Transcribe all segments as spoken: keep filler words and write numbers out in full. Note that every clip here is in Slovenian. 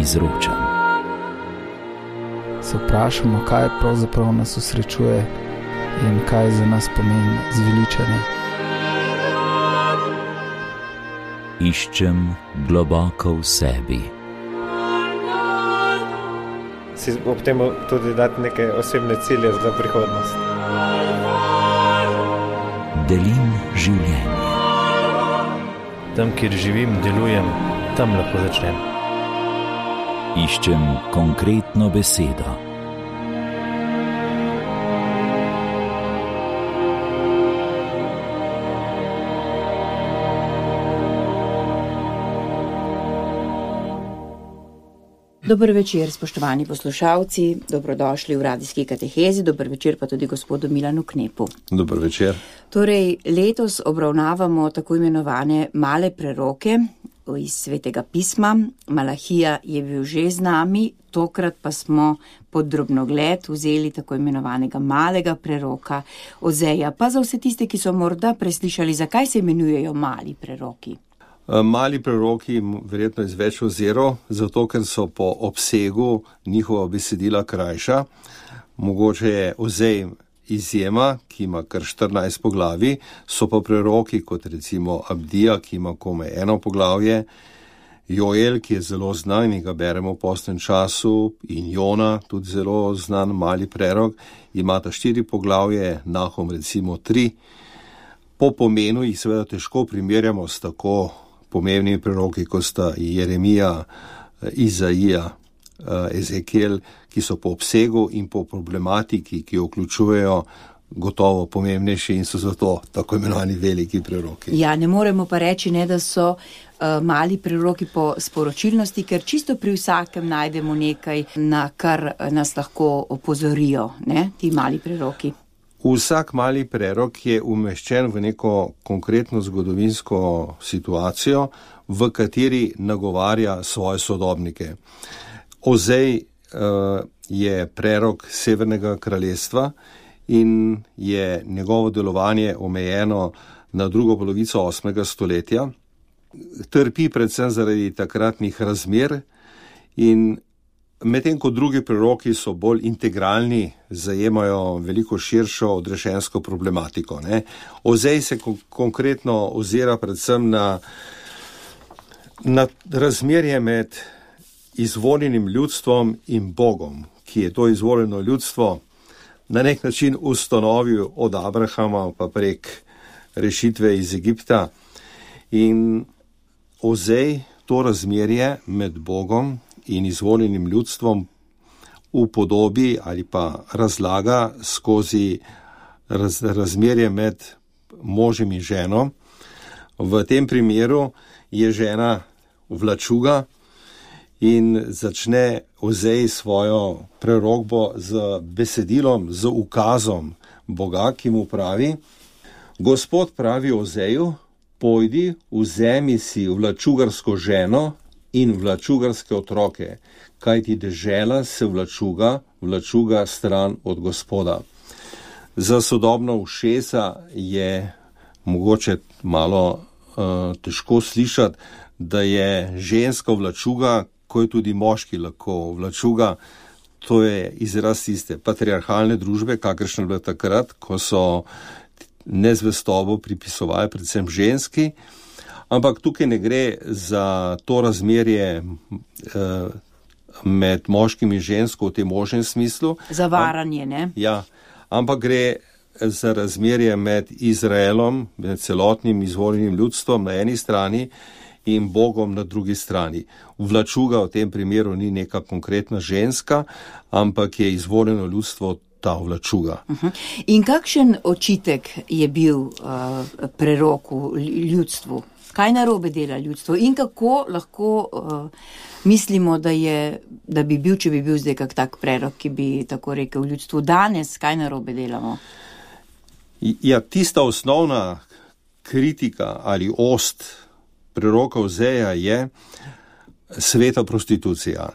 izročam. Se vprašamo, kaj pravzaprav nas osrečuje in kaj za nas pomeni zveličanje. Iščem globoko v sebi. Si ob tem tudi dati neke osebne cilje za prihodnost. Delim življenje. Tam, kjer živim, delujem, tam lahko začnem. Iščem konkretno besedo. Dober večer, spoštovani poslušalci, dobrodošli v radijski katehezi, dober večer pa tudi gospodu Milanu Knepu. Dober večer. Torej, letos obravnavamo tako imenovane male preroke iz Svetega pisma. Malahija je bil že z nami, tokrat pa smo pod drobnogled vzeli tako imenovanega malega preroka Ozeja. Pa za vse tiste, ki so morda preslišali, zakaj se imenujejo mali preroki? Mali preroki verjetno iz več ozirov, zato ker so po obsegu njihova besedila krajša. Mogoče je Ozej izjema, ki ima kar štirinajst poglavij, so pa preroki kot recimo Abdija, ki ima komaj eno poglavje, Joel, ki je zelo znan in ga beremo v postnem času, in Jona, tudi zelo znan mali prerok, imata štiri poglavje, Nahum recimo tri. Po pomenu jih seveda težko primerjamo s tako pomembnimi preroki, kot sta Jeremija, Izaija, Ezekiel, ki so po obsegu in po problematiki, ki jo vključujejo, gotovo pomembnejši in so zato tako imenovani veliki preroki. Ja, ne moremo pa reči, ne, da so uh, mali preroki po sporočilnosti, ker čisto pri vsakem najdemo nekaj, na kar nas lahko opozorijo, ne, ti mali preroki. Vsak mali prerok je umeščen v neko konkretno zgodovinsko situacijo, v kateri nagovarja svoje sodobnike. Ozej uh, je prerok Severnega kraljestva in je njegovo delovanje omejeno na drugo polovico osmega stoletja. Trpi predvsem zaradi takratnih razmer in medtem ko drugi preroki so bolj integralni, zajemajo veliko širšo odrešensko problematiko. Ne? Ozej se kon- konkretno ozira predvsem na, na razmerje med izvoljenim ljudstvom in Bogom, ki je to izvoljeno ljudstvo na nek način ustanovil od Abrahama pa prek rešitve iz Egipta. In Ozej to razmerje med Bogom in izvoljenim ljudstvom upodobi ali pa razlaga skozi raz, razmerje med možem in ženo. V tem primeru je žena vlačuga in začne Ozej svojo prerokbo z besedilom, z ukazom Boga, ki mu pravi: Gospod pravi Ozeju, pojdi, vzemi si vlačugarsko ženo in vlačugarske otroke, kajti dežela se vlačuga, vlačuga stran od Gospoda. Za sodobno ušesa je mogoče malo uh, težko slišati, da je ženska vlačuga, ko je tudi moški lahko vlačuga. To je izraz tiste patriarhalne družbe, kakršne bila takrat, ko so nezvestobo pripisovali predvsem ženski. Ampak tukaj ne gre za to razmerje eh, med moškim in žensko v tem možnem smislu. Zavaranje, ne? Ja, ampak gre za razmerje med Izraelom, med celotnim izvoljenim ljudstvom na eni strani in Bogom na drugi strani. Vlačuga v tem primeru ni neka konkretna ženska, ampak je izvoljeno ljudstvo ta vlačuga. Uh-huh. In kakšen očitek je bil uh, preroku ljudstvu? Kaj narobe dela ljudstvo in kako lahko uh, mislimo, da, je, da bi bil, če bi bil zdaj kak tak prerok, ki bi tako rekel ljudstvu danes, kaj narobe delamo? Ja, tista osnovna kritika ali ost preroka Ozeja je sveta prostitucija,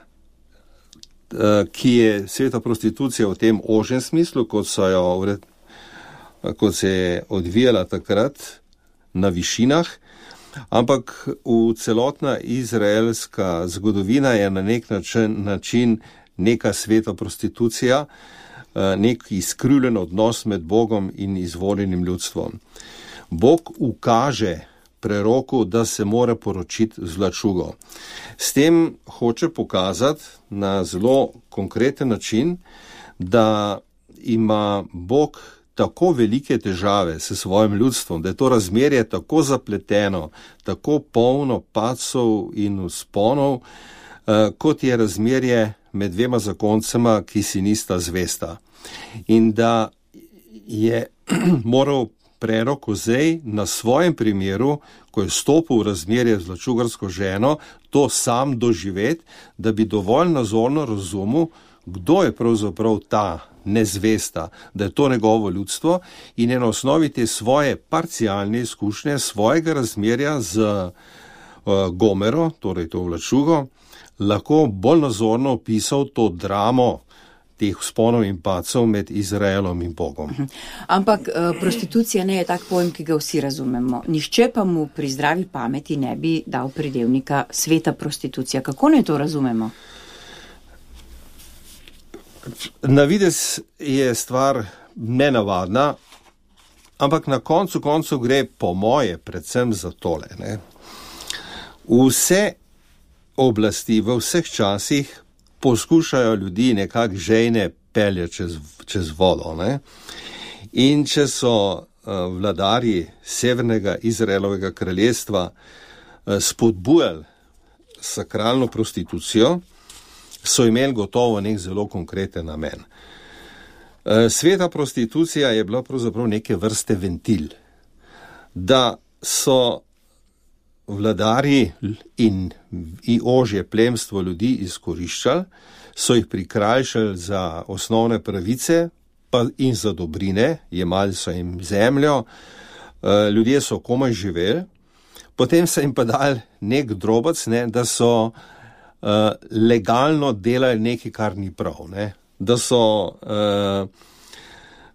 ki je sveta prostitucija v tem ožjem smislu, kot so jo, kot se je odvijala takrat na višinah, Ampak v celotna izraelska zgodovina je na nek način, način neka sveta prostitucija, nek izkrivljen odnos med Bogom in izvoljenim ljudstvom. Bog ukaže preroku, da se mora poročiti z vlačugo. S tem hoče pokazati na zelo konkreten način, da ima Bog tako velike težave s svojim ljudstvom, da je to razmerje tako zapleteno, tako polno padcev in vzponov, kot je razmerje med dvema zakoncema, ki si nista zvesta. In da je moral prerok Ozej na svojem primeru, ko je stopil v razmerje z vlačugarsko ženo, to sam doživeti, da bi dovolj nazorno razumel, kdo je pravzaprav ta nezvesta, da je to njegovo ljudstvo, in je na osnovi te svoje parcialne izkušnje, svojega razmerja z uh, Gomero, torej to vlačugo, lahko bolj nazorno opisal to dramo teh vzponov in padcev med Izraelom in Bogom. Ampak prostitucija ne je tak pojem, ki ga vsi razumemo. Nihče pa mu pri zdravi pameti ne bi dal pridevnika sveta prostitucija. Kako naj to razumemo? Na videz je stvar nenavadna, ampak na koncu koncu gre po moje predvsem za tole. Ne? Vse oblasti v vseh časih poskušajo ljudi nekako žejne pelje čez, čez vodo. Ne? In če so uh, vladarji severnega Izraelovega kraljestva uh, spodbujali sakralno prostitucijo, so imeli gotovo nek zelo konkreten namen. Uh, sveta prostitucija je bila pravzaprav neke vrste ventil, da so vladarji in, in ožje plemstvo ljudi izkoriščali, so jih prikrajšali za osnovne pravice pa in za dobrine, jemali so jim zemljo, ljudje so komaj živeli, potem so jim pa dali nek drobec, ne, da so uh, legalno delali nekaj, kar ni prav, ne, da so uh,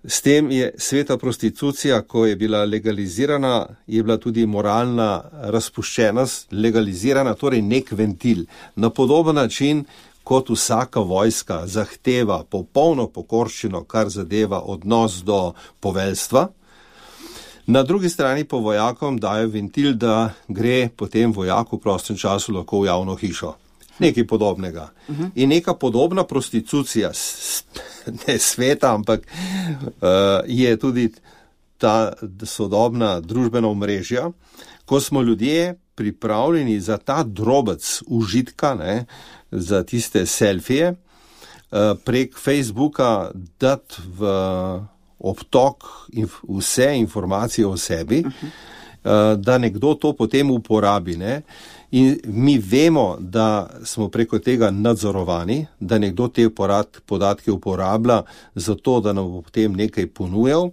S tem je sveta prostitucija, ko je bila legalizirana, je bila tudi moralna razpuščenost legalizirana, torej nek ventil. Na podoben način, kot vsaka vojska zahteva popolno pokorščino, kar zadeva odnos do poveljstva, na drugi strani pa vojakom dajo ventil, da gre potem vojak v prostem času lahko v javno hišo. Nekaj podobnega. Uh-huh. In neka podobna prostitucija, ne sveta, ampak uh, je tudi ta sodobna družbena omrežja, ko smo ljudje pripravljeni za ta drobec užitka, ne, za tiste selfije, uh, prek Facebooka dati v obtok inf- vse informacije o sebi, uh-huh. uh, da nekdo to potem uporabi, ne. In mi vemo, da smo preko tega nadzorovani, da nekdo te podatke uporablja za to, da nam bo potem nekaj ponujal,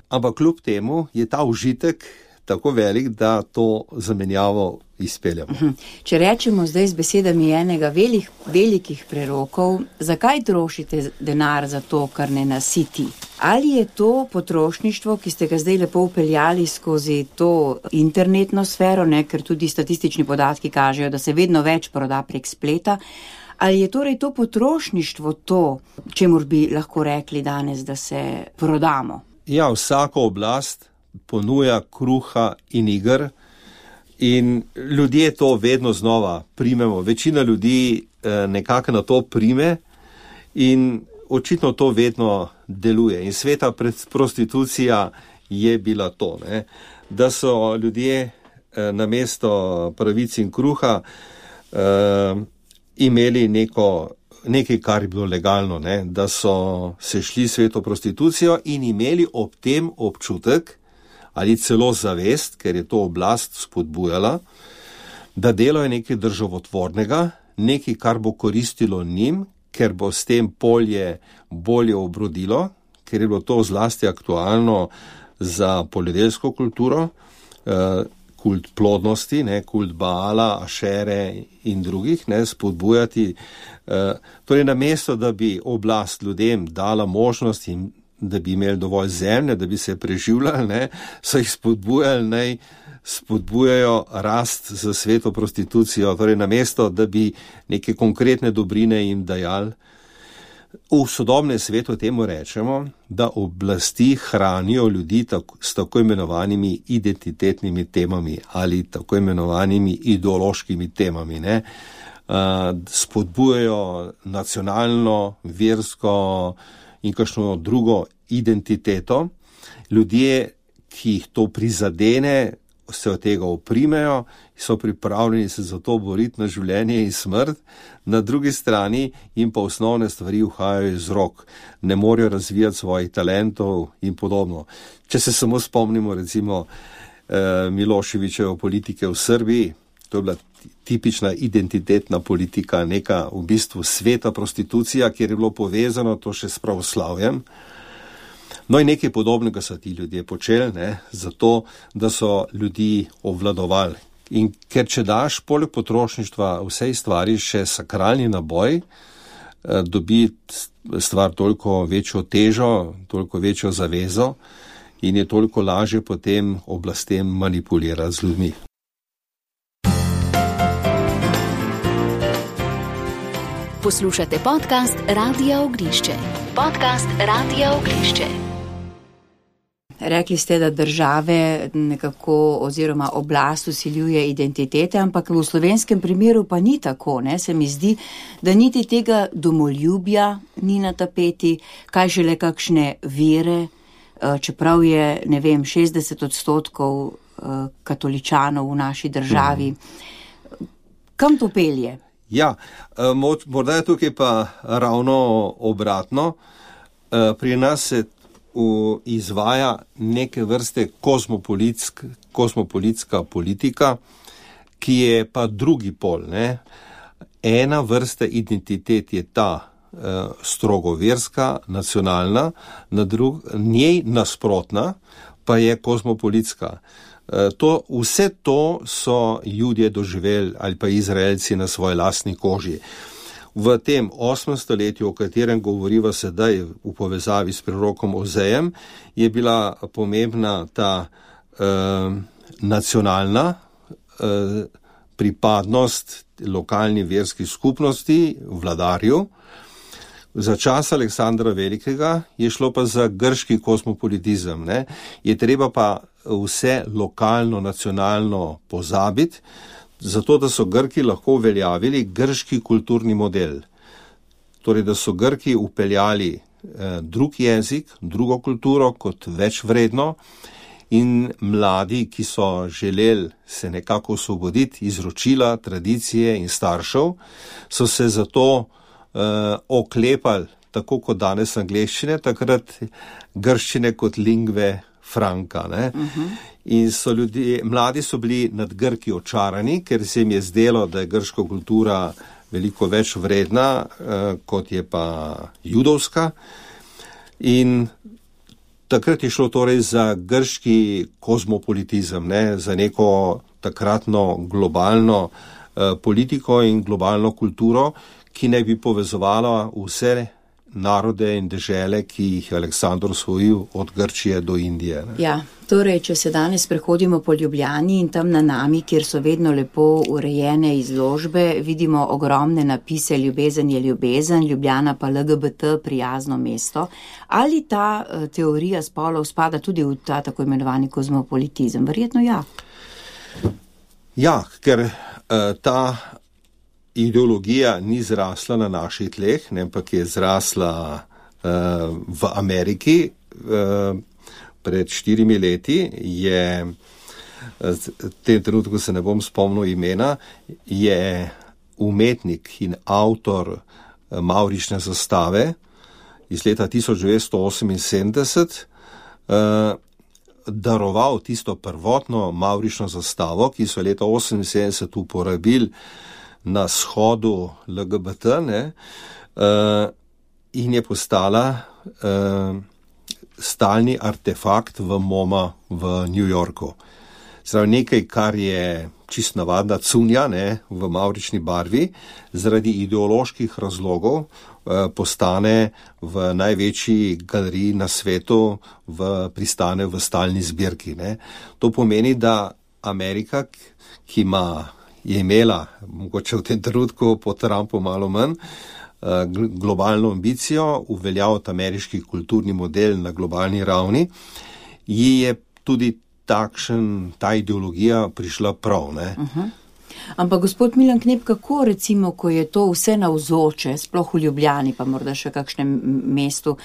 ampak kljub temu je ta užitek tako velik, da to zamenjavo izpeljamo. Če rečemo zdaj z besedami enega velik, velikih prerokov, zakaj trošite denar za to, kar ne nasiti? Ali je to potrošništvo, ki ste ga zdaj lepo upeljali skozi to internetno sfero, ne, ker tudi statistični podatki kažejo, da se vedno več proda prek spleta, ali je torej to potrošništvo to, čemur bi lahko rekli danes, da se prodamo? Ja, vsaka oblast ponuja kruha in iger in ljudje to vedno znova primemo. Večina ljudi eh, nekako na to prime in očitno to vedno deluje. In sveta prostitucija je bila to, ne? Da so ljudje eh, namesto pravic in kruha eh, imeli neko, nekaj, kar je bilo legalno, ne? Da so se šli sveto prostitucijo in imeli ob tem občutek ali celo zavest, ker je to oblast spodbujala, da delo je nekaj državotvornega, nekaj, kar bo koristilo njim, ker bo s tem polje bolje obrodilo, ker je bilo to zlasti aktualno za poljedelsko kulturo, kult plodnosti, ne, kult Baala, Ašere in drugih, ne, spodbujati. Torej, namesto, da bi oblast ljudem dala možnost in da bi imeli dovolj zemlje, da bi se preživljali, ne, so jih spodbujali, naj spodbujajo rast za sveto prostitucijo, torej namesto, da bi neke konkretne dobrine jim dajali. V sodobnem svetu temu rečemo, da oblasti hranijo ljudi tako, s tako imenovanimi identitetnimi temami ali tako imenovanimi ideološkimi temami, ne. Uh, spodbujajo nacionalno, versko in kakšno drugo identiteto. Ljudje, ki jih to prizadene, se od tega oprimejo, so pripravljeni se za to boriti na življenje in smrt, na drugi strani jim pa osnovne stvari uhajajo iz rok, ne morejo razvijati svojih talentov in podobno. Če se samo spomnimo recimo eh, Miloševićeve politike v Srbiji, to je bila tipična identitetna politika, neka v bistvu sveta prostitucija, kjer je bilo povezano to še s pravoslavjem. No in nekaj podobnega so ti ljudje počeli, ne, zato, da so ljudi obvladovali. In ker če daš poleg potrošništva vsej stvari še sakralni naboj, dobi stvar toliko večjo težo, toliko večjo zavezo in je toliko lažje potem oblastem manipulirati z ljudmi. Poslušate podcast Radia Ognišče. Podcast Radia Ognišče. Rekli ste, da države nekako oziroma oblast vsiljuje identitete, ampak v slovenskem primeru pa ni tako, ne? Se mi zdi, da niti tega domoljubja ni na tapeti, kaj šele kakšne vere, čeprav je, ne vem, šestdeset odstotkov katoličanov v naši državi. Kam to pelje? Ja, morda je tukaj pa ravno obratno. Pri nas se izvaja neke vrste kozmopolitsk, kozmopolitska politika, ki je pa drugi pol, ne. Ena vrsta identitet je ta eh, strogo verska, nacionalna, na drug, njej nasprotna pa je kozmopolitska. Eh, to, vse to so Judje doživeli ali pa Izraelci na svoji lastni koži. V tem osmem stoletju, o katerem govoriva sedaj v povezavi s prerokom Ozejem, je bila pomembna ta eh, nacionalna eh, pripadnost lokalni verski skupnosti, vladarju. Za čas Aleksandra Velikega je šlo pa za grški kozmopolitizem, ne? Je treba pa vse lokalno, nacionalno pozabiti, zato da so Grki lahko uveljavili grški kulturni model. Torej, da so Grki upeljali eh, drug jezik, drugo kulturo kot več vredno in mladi, ki so želeli se nekako osvoboditi iz ročila, tradicije in staršev, so se zato eh, oklepali, tako kot danes angleščine, takrat grščine kot lingve franka, ne. Uh-huh. In so ljudje, mladi so bili nad Grki očarani, ker se jim je zdelo, da je grška kultura veliko več vredna, eh, kot je pa judovska. In takrat je šlo torej za grški kozmopolitizem, ne, za neko takratno globalno eh, politiko in globalno kulturo, ki ne bi povezovala vse narode in dežele, ki jih je Aleksandr osvojil od Grčije do Indije. Ne? Ja, torej, če se danes prehodimo po Ljubljani in tam na Nami, kjer so vedno lepo urejene izložbe, vidimo ogromne napise Ljubezen je ljubezen, Ljubljana pa L G B T prijazno mesto. Ali ta uh, teorija spolov spada tudi v ta tako imenovani kozmopolitizem? Verjetno ja. Ja, ker uh, ta ideologija ni zrasla na naših tleh, ne, ampak je zrasla uh, v Ameriki. Uh, pred štirimi leti je, v tem trenutku se ne bom spomnil imena, je umetnik in avtor mavrične zastave iz leta tisoč devetsto oseminsedemdeset uh, daroval tisto prvotno mavrično zastavo, ki so leta oseminsedemdeset uporabili na shodu L G B T, ne, uh, in je postala uh, stalni artefakt v MoMA v New Yorku. Zdaj, nekaj, kar je čist navadna cunja, ne, v mavrični barvi, zaradi ideoloških razlogov postane v največji galeriji na svetu, v, pristane v stalni zbirki. Ne. To pomeni, da Amerika, ki ima, je imela, mogoče v tem trenutku po Trumpu malo manj, globalno ambicijo, uveljaviti ameriški kulturni model na globalni ravni, ji je tudi takšen, ta ideologija prišla prav. Ne. Uh-huh. Ampak gospod Milan Knep, kako recimo, ko je to vse navzoče, sploh v Ljubljani, pa morda še kakšnem mestu,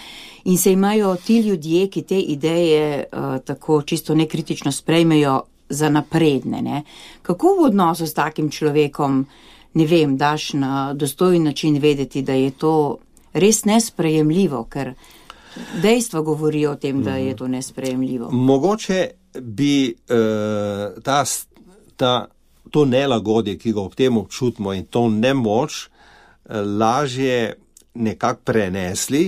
in se imajo ti ljudje, ki te ideje uh, tako čisto nekritično sprejmejo za napredne, ne? Kako v odnosu s takim človekom, ne vem, daš na dostojen način vedeti, da je to res nesprejemljivo, ker dejstva govorijo o tem, da je to nesprejemljivo. Mogoče bi uh, ta, ta, to nelagodje, ki ga ob tem občutimo in to nemoč, uh, lažje nekako prenesli,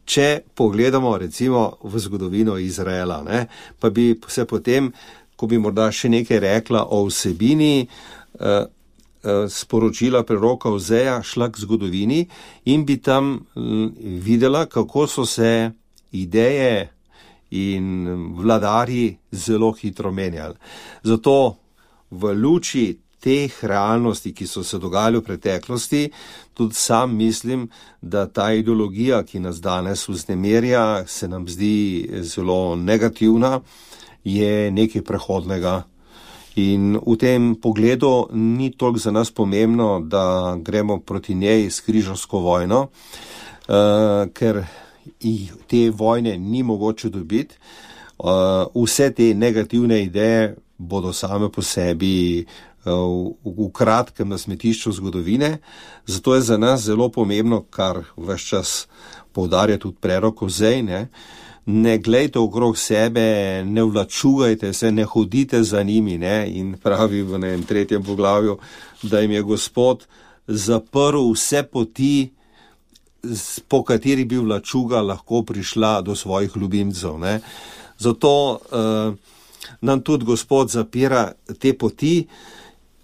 če pogledamo recimo v zgodovino Izraela, ne? Pa bi se potem, ko bi morda še nekaj rekla o vsebini, uh, sporočila preroka Ozeja, šla k zgodovini in bi tam videla, kako so se ideje in vladarji zelo hitro menjali. Zato v luči teh realnosti, ki so se dogajali v preteklosti, tudi sam mislim, da ta ideologija, ki nas danes vznemirja, se nam zdi zelo negativna, je nekaj prehodnega. In v tem pogledu ni toliko za nas pomembno, da gremo proti njej s križarsko vojno, uh, ker te vojne ni mogoče dobiti. Uh, vse te negativne ideje bodo same po sebi uh, v, v kratkem na smetišču zgodovine. Zato je za nas zelo pomembno, kar ves čas poudarja tudi prerok Ozej, ne, ne glejte okrog sebe, ne vlačugajte se, ne hodite za njimi, ne, in pravi v enem tretjem poglavju, da jim je Gospod zaprl vse poti, po kateri bi vlačuga lahko prišla do svojih ljubimcev, ne. Zato uh, nam tudi Gospod zapira te poti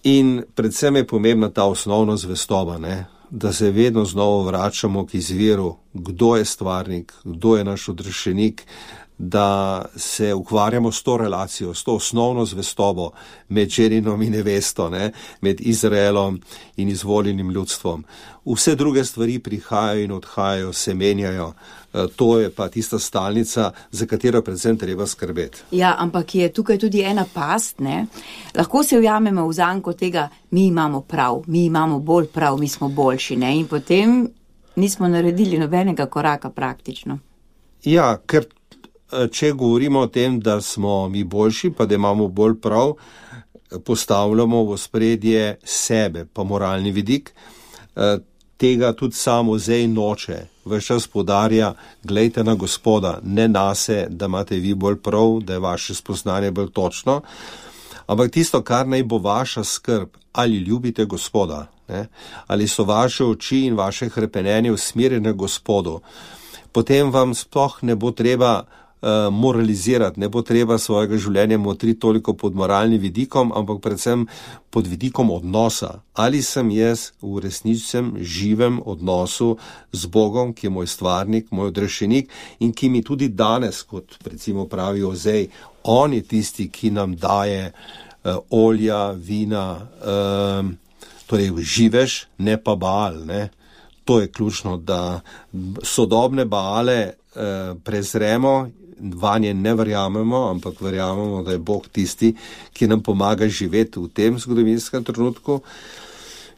in predvsem je pomembna ta osnovna zvestoba, ne, da se vedno znova vračamo k izviru, kdo je stvarnik, kdo je naš odrešenik, da se ukvarjamo s to relacijo, s to osnovno zvestobo med ženinom in nevesto, ne, med Izraelom in izvoljenim ljudstvom. Vse druge stvari prihajajo in odhajajo, se menjajo. To je pa tista stalnica, za katero predvsem treba skrbeti. Ja, ampak je tukaj tudi ena past, ne? Lahko se ujamemo v zanko tega, mi imamo prav, mi imamo bolj prav, mi smo boljši, ne? In potem nismo naredili nobenega koraka praktično. Ja, ker če govorimo o tem, da smo mi boljši, pa da imamo bolj prav, postavljamo v ospredje sebe, pa moralni vidik. Tega tudi sam Ozej noče. Ves čas poudarja, glejte na Gospoda, ne nase, da imate vi bolj prav, da je vaše spoznanje bolj točno, ampak tisto, kar naj bo vaša skrb, ali ljubite Gospoda, ne? Ali so vaše oči in vaše hrepenenje usmerjene Gospodu, potem vam sploh ne bo treba uh, moralizirati, ne bo treba svojega življenja motriti toliko pod moralnim vidikom, ampak predvsem pod vidikom odnosa. Ali sem jaz v resničnem živem odnosu z Bogom, ki je moj stvarnik, moj odrešenik in ki mi tudi danes, kot recimo pravi Ozej, on je tisti, ki nam daje uh, olja, vina, uh, torej živeš, ne pa Baal, ne. To je ključno, da sodobne Baale eh, prezremo, vanje ne verjamemo, ampak verjamemo, da je Bog tisti, ki nam pomaga živeti v tem zgodovinskem trenutku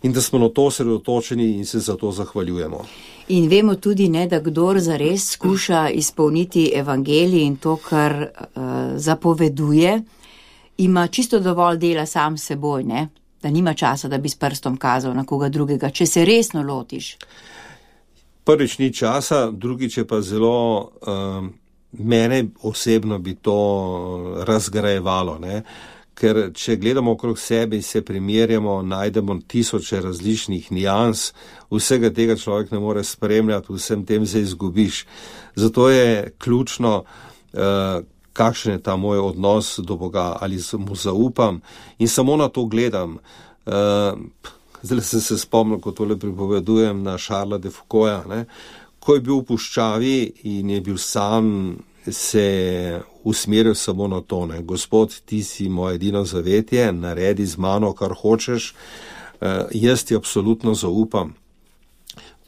in da smo na to osredotočeni in se za to zahvaljujemo. In vemo tudi, ne, da kdor zares skuša izpolniti evangelij in to, kar uh, zapoveduje, ima čisto dovolj dela sam s seboj, ne? Da nima časa, da bi s prstom kazal na koga drugega, če se resno lotiš. Prvič ni časa, drugič je pa zelo, uh, mene osebno bi to razgrajevalo, ne? Ker če gledamo okrog sebe in se primerjamo, najdemo tisoče različnih nijans, vsega tega človek ne more spremljati, vsem tem se izgubiš. Zato je ključno, uh, kakšen je ta moj odnos do Boga, ali mu zaupam in samo na to gledam. Uh, zdaj sem se spomnil, ko tole pripovedujem, na Charlesa de Foucaulta, ne, ko je bil v puščavi in je bil sam, se usmeril samo na to, ne. Gospod, ti si moje edino zavetje, naredi z mano, kar hočeš, uh, jaz ti absolutno zaupam.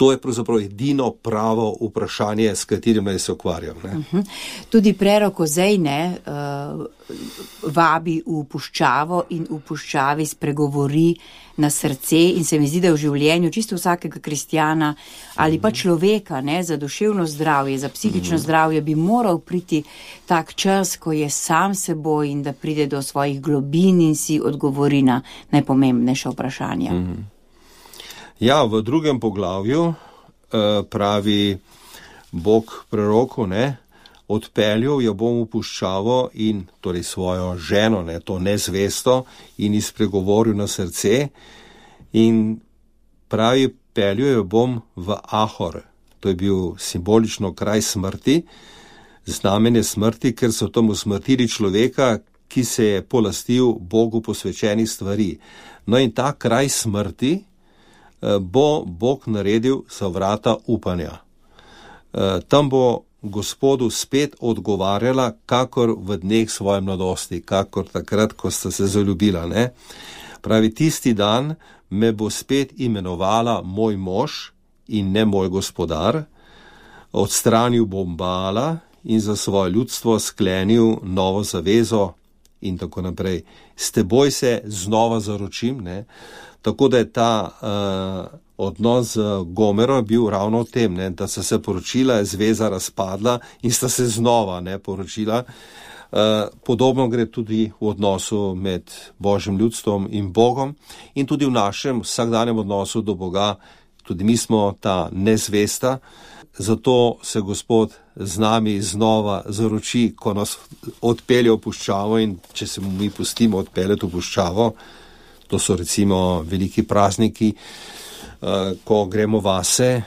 To je pravzaprav edino pravo vprašanje, s katerim naj se ukvarjam. Ne. Uh-huh. Tudi prerok Ozej ne, uh, vabi v puščavo in v puščavi spregovori na srce in se mi zdi, da v življenju čisto vsakega kristjana ali pa človeka, ne, za duševno zdravje, za psihično uh-huh. zdravje bi moral priti tak čas, ko je sam seboj in da pride do svojih globin in si odgovori na najpomembnejša vprašanja. Uh-huh. Ja, v drugem poglavju uh, pravi Bog preroku, ne, odpeljal jo bom v puščavo in torej svojo ženo, ne, to nezvesto, in izpregovoril na srce in pravi, peljal jo bom v Ahor. To je bil simbolično kraj smrti, znamenje smrti, ker so tam usmrtili človeka, ki se je polastil Bogu posvečenih stvari. No in ta kraj smrti bo Bog naredil za vrata upanja. Tam bo Gospodu spet odgovarjala, kakor v dneh svoje mladosti, kakor takrat, ko sta se zaljubila. Ne? Pravi, tisti dan me bo spet imenovala moj mož in ne moj gospodar, odstranil bom Baala in za svoje ljudstvo sklenil novo zavezo in tako naprej. S teboj se znova zaročim, ne? Tako da je ta uh, odnos z Gomero bil ravno v tem, ne, da sta se poročila, je zveza razpadla in sta se znova ne, poročila. Uh, podobno gre tudi v odnosu med Božjim ljudstvom in Bogom in tudi v našem vsakdanjem odnosu do Boga. Tudi mi smo ta nezvesta, zato se Gospod z nami znova zaroči, ko nas odpelje v puščavo in če se mu mi pustimo odpeljati v puščavo, to so recimo veliki prazniki, ko gremo vase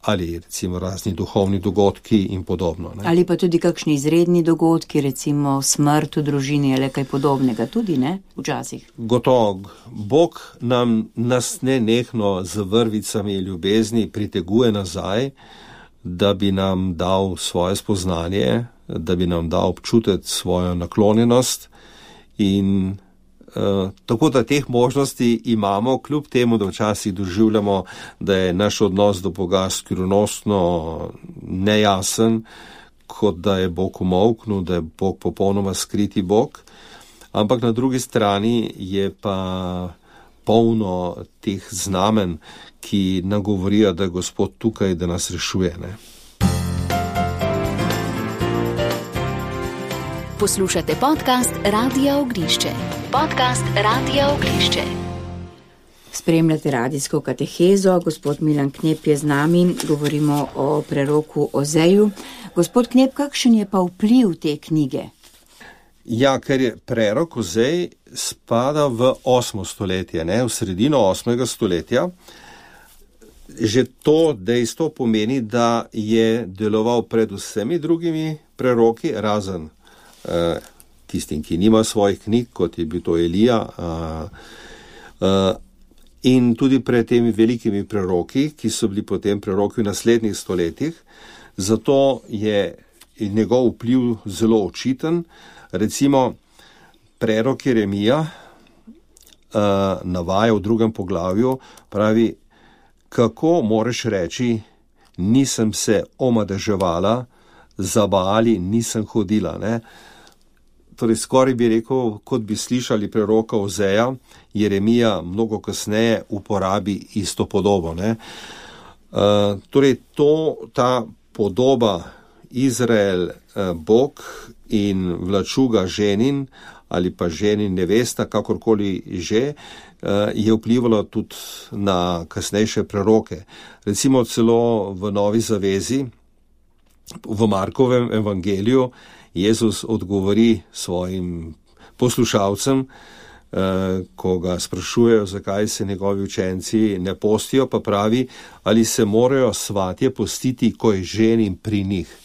ali recimo razni duhovni dogodki in podobno. Ne? Ali pa tudi kakšni izredni dogodki, recimo smrt v družini ali kaj podobnega tudi, ne? Včasih. Gotovo. Bog nam nas nenehno z vrvicami ljubezni priteguje nazaj, da bi nam dal svoje spoznanje, da bi nam dal občutiti svojo naklonjenost in Uh, tako da teh možnosti imamo, kljub temu, da včasih doživljamo, da je naš odnos do Boga skrivnostno nejasen, kot da je Bog umolknil, da je Bog popolnoma skriti Bog, ampak na drugi strani je pa polno teh znamen, ki nam govorijo, da je Gospod tukaj, da nas rešuje. Ne? Poslušate podcast Radia Ognišče. Podcast Radia Ognišče. Spremljate radijsko katehezo, gospod Milan Knep je z nami, govorimo o preroku Ozeju. Gospod Knep, kakšen je pa vpliv te knjige? Ja, ker je prerok Ozej spada v osmo stoletje, ne, v sredino osmega stoletja. Že to dejstvo pomeni, da je deloval pred vsemi drugimi preroki, razen uh, tistim, ki nima svojih knjig, kot je bil to Elija, uh, uh, in tudi pred temi velikimi preroki, ki so bili potem preroki v naslednjih stoletjih. Zato je njegov vpliv zelo očiten. Recimo, prerok Jeremija uh, navaja v drugem poglavju, pravi, kako moreš reči, nisem se omadeževala, za Baali nisem hodila. Ne? Torej, skoraj bi rekel, kot bi slišali preroka Ozeja, Jeremija mnogo kasneje uporabi isto podobo. Ne? Uh, torej, to, ta podoba Izrael, uh, Bog in vlačuga ženin ali pa ženin nevesta, kakorkoli že, uh, je vplivalo tudi na kasnejše preroke. Recimo celo v Novi zavezi, v Markovem evangeliju, Jezus odgovori svojim poslušalcem, ko ga sprašujejo, zakaj se njegovi učenci ne postijo, pa pravi, ali se morajo svatje postiti, ko je ženin pri njih.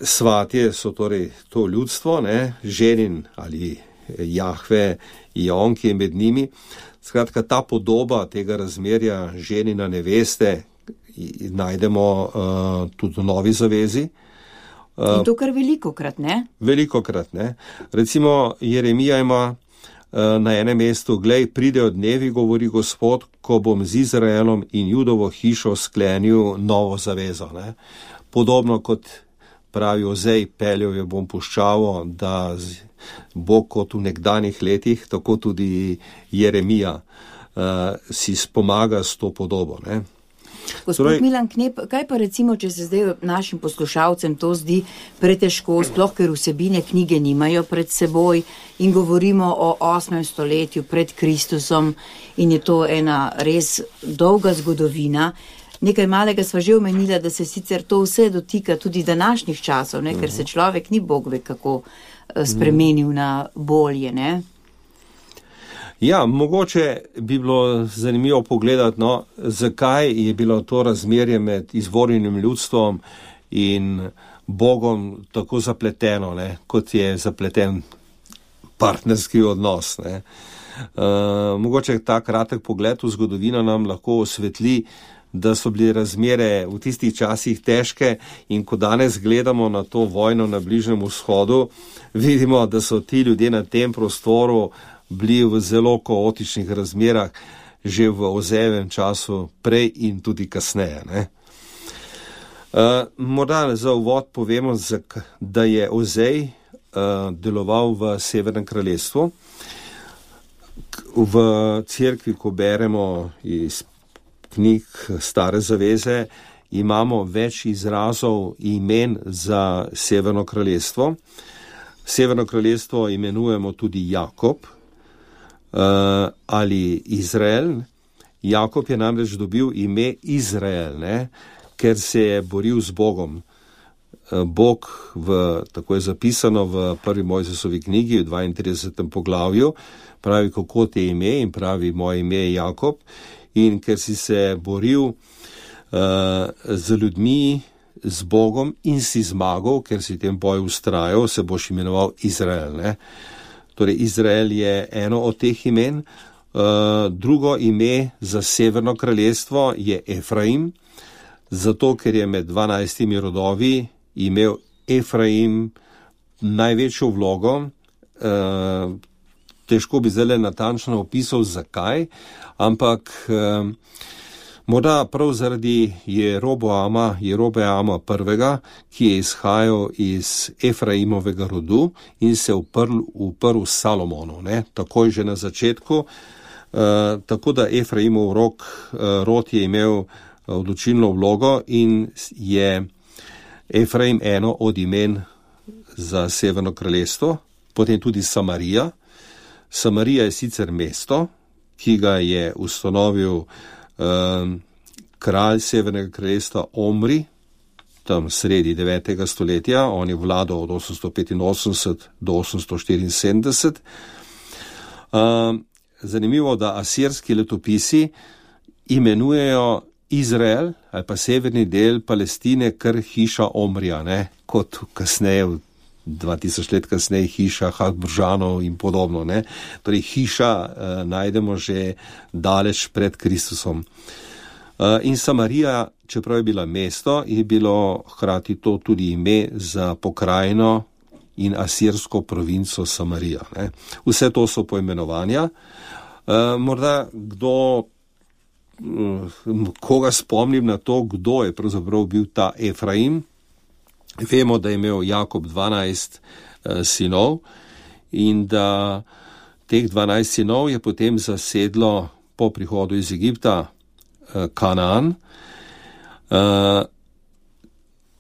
Svatje so torej to ljudstvo, ne? Ženin ali Jahve je on, ki je med njimi. Skratka, ta podoba tega razmerja ženina neveste najdemo uh, tudi v Novi zavezi. Uh, In to kar velikokrat, ne? Velikokrat, ne. Recimo Jeremija ima uh, na enem mestu: glej, pridejo dnevi, govori Gospod, ko bom z Izraelom in Judovo hišo sklenil novo zavezo. Ne. Podobno kot pravi Ozej, peljal jo bom puščavo, da bo kot v nekdanjih letih, tako tudi Jeremija uh, si spomaga s to podobo. Ne. Gospod Torej, Milan Knep, kaj pa recimo, če se zdaj našim poslušalcem to zdi pretežko, sploh ker vsebine knjige nimajo pred seboj in govorimo o osmem stoletju pred Kristusom in je to ena res dolga zgodovina. Nekaj malega sva že omenila, da se sicer to vse dotika tudi današnjih časov, ne? Ker se človek ni Bog ve kako spremenil na bolje, ne? Ja, mogoče bi bilo zanimivo pogledati, no, zakaj je bilo to razmerje med izvorjenim ljudstvom in Bogom tako zapleteno, ne, kot je zapleten partnerski odnos. Ne. Uh, mogoče ta kratek pogled v zgodovino nam lahko osvetli, da so bile razmere v tistih časih težke in ko danes gledamo na to vojno na Bližnjem vzhodu, vidimo, da so ti ljudje na tem prostoru bili v zelo kaotičnih razmerah že v Ozejevem času prej in tudi kasneje. Ne? Uh, morda za uvod povemo, da je Ozej uh, deloval v Severnem kraljestvu. V cerkvi, ko beremo iz knjig Stare zaveze, imamo več izrazov imen za Severno kraljestvo. Severno kraljestvo imenujemo tudi Jakob, Uh, ali Izrael. Jakob je namreč dobil ime Izrael, ne, ker se je boril z Bogom. Uh, Bog, v, tako je zapisano v prvi Mojzesovi knjigi, v dvaintridesetem poglavju, pravi, kako te ime, in pravi, moje ime je Jakob. In ker si se boril uh, z ljudmi, z Bogom in si zmagal, ker si tem boju ustrajal, se boš imenoval Izrael, ne. Torej, Izrael je eno od teh imen. Uh, drugo ime za Severno kraljestvo je Efraim, zato ker je med dvanajstimi rodovi imel Efraim največjo vlogo. Uh, težko bi zdaj natančno opisal, zakaj, ampak uh, morda prav zaradi Jeroboama, Jerobeama prvega, ki je izhajal iz Efraimovega rodu in se uprl, uprl Salomonu, ne, takoj že na začetku. Uh, tako da Efraimov rok, uh, rod je imel odločilno vlogo in je Efraim eno od imen za Severno kraljestvo. Potem tudi Samarija. Samarija je sicer mesto, ki ga je ustanovil kralj Severnega kraljestva Omri, tam sredi devetega stoletja, on je vladal od osemsto petinosemdeset do osemsto štiriinsedemdeset. Zanimivo, da asirski letopisi imenujejo Izrael ali pa severni del Palestine kar hiša Omrija, ne, kot kasneje, dva tisoč let kasneje, hiša Habsburžanov in podobno, ne. Torej, hiša eh, najdemo že daleč pred Kristusom. Eh, in Samarija, čeprav je bila mesto, je bilo hkrati to tudi ime za pokrajino in asirsko provinco Samarija, ne. Vse to so poimenovanja. Eh, morda kdo, koga spomnim na to, kdo je pravzaprav bil ta Efraim. Vemo, da je imel Jakob dvanajst uh, sinov in da teh dvanajst sinov je potem zasedlo po prihodu iz Egipta uh, Kanaan. Uh,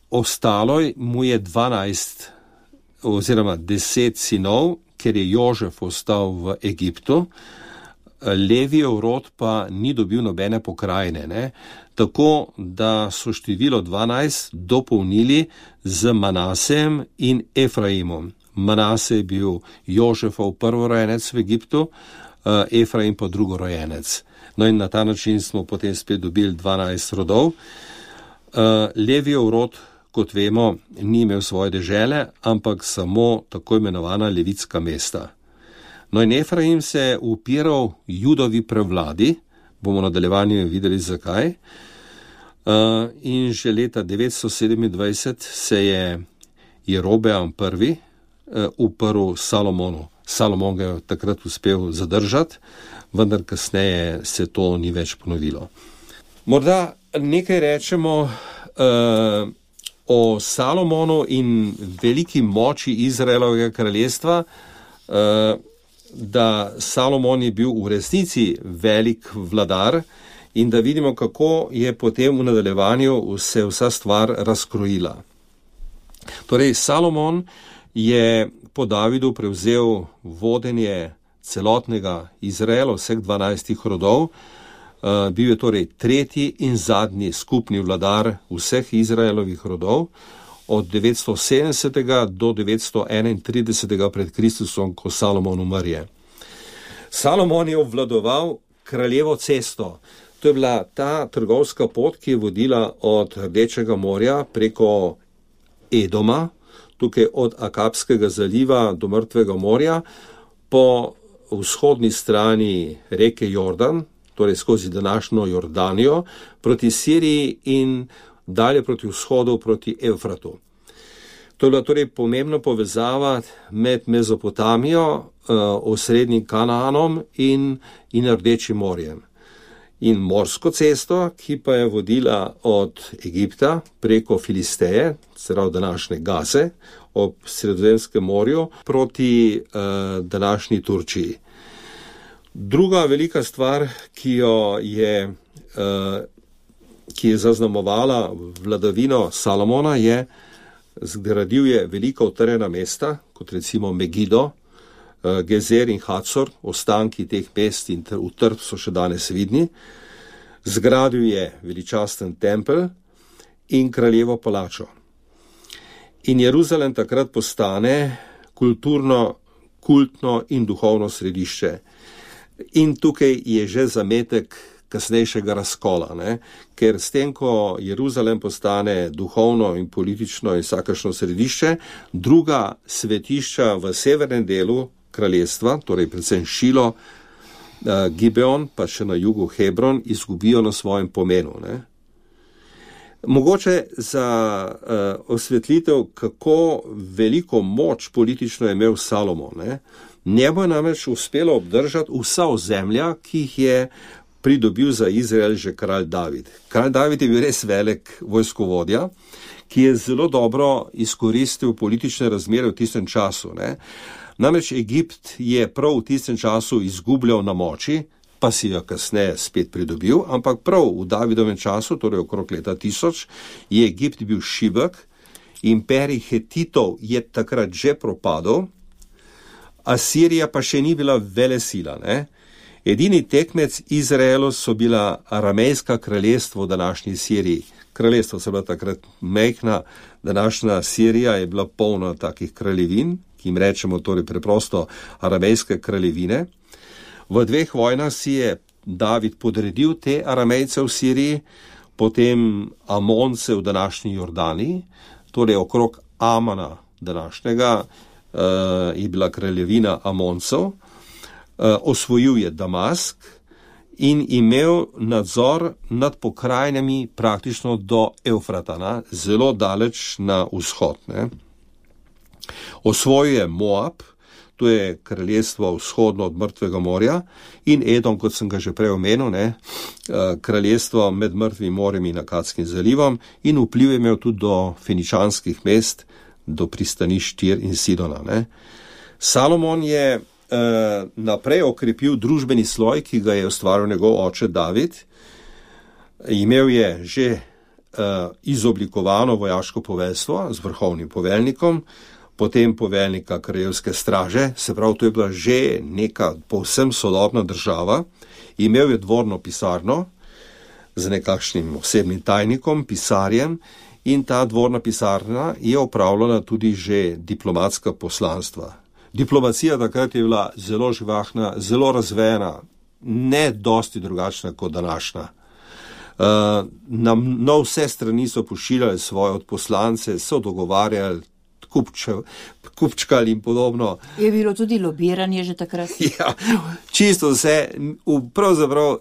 ostalo mu je dvanajst oziroma deset sinov, ker je Jožef ostal v Egiptu. Levijev rod pa ni dobil nobene pokrajine, ne? Tako da so število dvanajst dopolnili z Manasejem in Efraimom. Manase je bil Jožefov prvorojenec v Egiptu, Efraim pa drugorojenec. No in na ta način smo potem spet dobili dvanajst rodov. Levijev rod, kot vemo, ni imel svoje dežele, ampak samo tako imenovana levitska mesta. No in Efraim se je upiral Judovi prevladi, bomo v nadaljevanju videli zakaj, uh, in že leta devetsto sedemindvajset se je Jerobeam prvi uh, uprl Salomonu. Salomon ga je takrat uspel zadržati, vendar kasneje se to ni več ponovilo. Morda nekaj rečemo uh, o Salomonu in veliki moči Izraelovega kraljestva, uh, da Salomon je bil v resnici velik vladar in da vidimo, kako je potem v nadaljevanju se vsa stvar razkrojila. Torej, Salomon je po Davidu prevzel vodenje celotnega Izraela, vseh dvanajstih rodov, uh, bil je torej tretji in zadnji skupni vladar vseh Izraelovih rodov, od devetsto sedemdesetega do devetsto enaintridesetega pred Kristusom, ko Salomon umrje. Salomon je obvladoval kraljevo cesto. To je bila ta trgovska pot, ki je vodila od Rdečega morja preko Edoma, tukaj od Akabskega zaliva do Mrtvega morja, po vzhodni strani reke Jordan, torej skozi današnjo Jordanijo, proti Siriji in dalje proti vzhodu, proti Evfratu. To je bila torej pomembna povezava med Mezopotamijo, osrednjim Kanaanom in, in Rdečim morjem. In morsko cesto, ki pa je vodila od Egipta preko Filisteje, pravi današnje Gaze, ob Sredozemskem morju, proti uh, današnji Turčiji. Druga velika stvar, ki jo je uh, ki je zaznamovala vladavino Salomona, je, zgradil je velika utrjena mesta, kot recimo Megido, Gezer in Hacor, ostanki teh mest in utrt so še danes vidni. Zgradil je veličasten tempelj in kraljevo palačo. In Jeruzalem takrat postane kulturno, kultno in duhovno središče. In tukaj je že zametek kasnejšega razkola, ne? Ker s tem, ko Jeruzalem postane duhovno in politično in vsakašno središče, druga svetišča v severnem delu kraljestva, torej predvsem Šilo, Gibeon, pa še na jugu Hebron, izgubijo na svojem pomenu. Ne? Mogoče za uh, osvetlitev, kako veliko moč politično je imel Salomon. Ne? Njemu je namreč uspelo obdržati vsa ozemlja, ki jih je pridobil za Izrael že kralj David. Kralj David je bil res velik vojskovodja, ki je zelo dobro izkoristil politične razmere v tistem času. Ne? Namreč Egipt je prav v tistem času izgubljal na moči, pa si jo kasneje spet pridobil, ampak prav v Davidovem času, torej okrog leta tisoč, je Egipt bil šibek, imperij Hetitov je takrat že propadel, Asirija pa še ni bila velesila. Ne? Edini tekmec Izraelu so bila aramejska kraljestvo v današnji Siriji. Kraljestvo so bila takrat mehna, današnja Sirija je bila polna takih kraljevin, ki jim rečemo torej preprosto aramejske kraljevine. V dveh vojnah si je David podredil te aramejce v Siriji, potem Amonce v današnji Jordaniji, torej okrog Amana današnjega uh, je bila kraljevina Amoncov, uh, osvojil je Damask in imel nadzor nad pokrajinami praktično do Evfrata, zelo daleč na vzhod. Ne. Osvojil je Moab, to je kraljestvo vzhodno od Mrtvega morja, in Edom, kot sem ga že prej omenil, ne, kraljestvo med Mrtvim morjem in Akadskim zalivom, in vpliv je imel tudi do feničanskih mest, do pristanišč Tir in Sidona. Ne. Salomon je eh, naprej okrepil družbeni sloj, ki ga je ustvaril njegov oče David. Imel je že eh, izoblikovano vojaško poveljstvo z vrhovnim poveljnikom, potem poveljnika kraljevske straže, se pravi, to je bila že neka povsem sodobna država. Imel je dvorno pisarno z nekakšnim osebnim tajnikom, pisarjem, in ta dvorna pisarna je opravljala tudi že diplomatska poslanstva. Diplomacija takrat je bila zelo živahna, zelo razvejena, ne dosti drugačna kot današnja. Uh, na, na vse strani so pošiljali svoje odposlance, so dogovarjali kupčev, kupčkali in podobno. Je bilo tudi lobiranje že takrat? Ja, čisto vse, pravzaprav